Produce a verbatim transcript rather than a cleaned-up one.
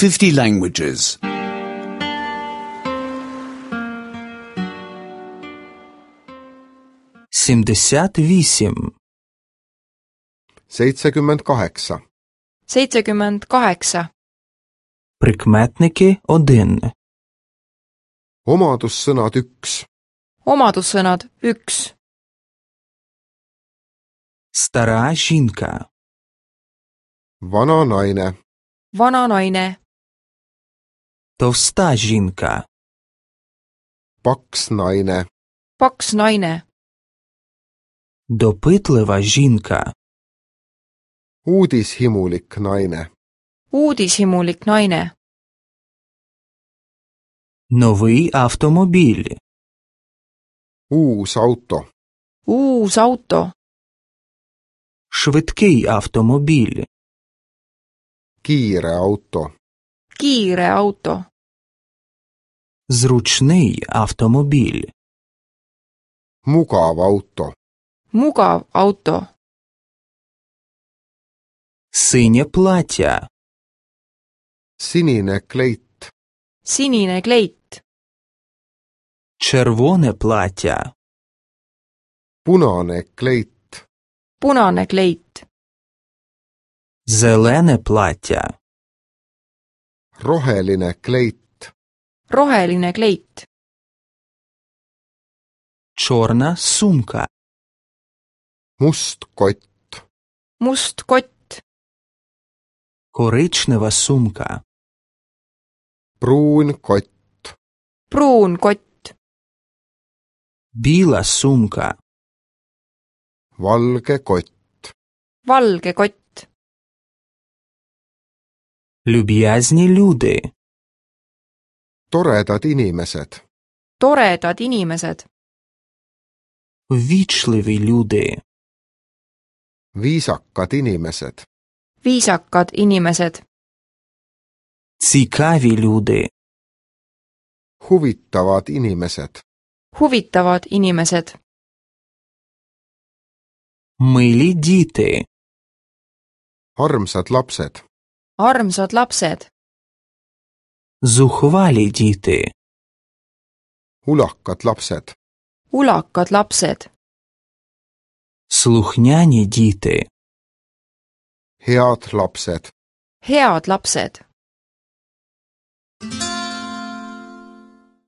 fifty languages. сімдесят вісім, seitsekümmend kaheksa, seitsekümmend kaheksa. прикметники один, omadussõnad üks, Omadussõnad üks. стара жінка, vana naine, Vana naine. товста жінка, paks naine, Paks naine. допитлива жінка, uudishimulik naine, Uudishimulik naine. новий автомобіль, uus auto, Uus auto. швидкий автомобіль, kiire auto, Kiire auto. зручний автомобіль, mugav auto, Mugav auto. синє плаття, sinine kleit, Sinine kleit. червоне плаття, punane kleit, Punane kleit. зелене плаття, roheline kleit, Roheline kleit. чорна сумка, must kott, Must kott. коричнева сумка, pruun kott, Pruun kott. біла сумка, valge kott, Valge kott. люб'язні люди, toredad inimesed, Toredad inimesed. ввічливі люди, viisakad inimesed, Viisakad inimesed. цікаві люди, huvitavad inimesed, Huvitavad inimesed. милі діти, armsad lapsed, Armsad lapsed. зухвалі діти, ulakad lapsed, Ulakad lapsed. слухняні діти, head lapsed. Head lapsed.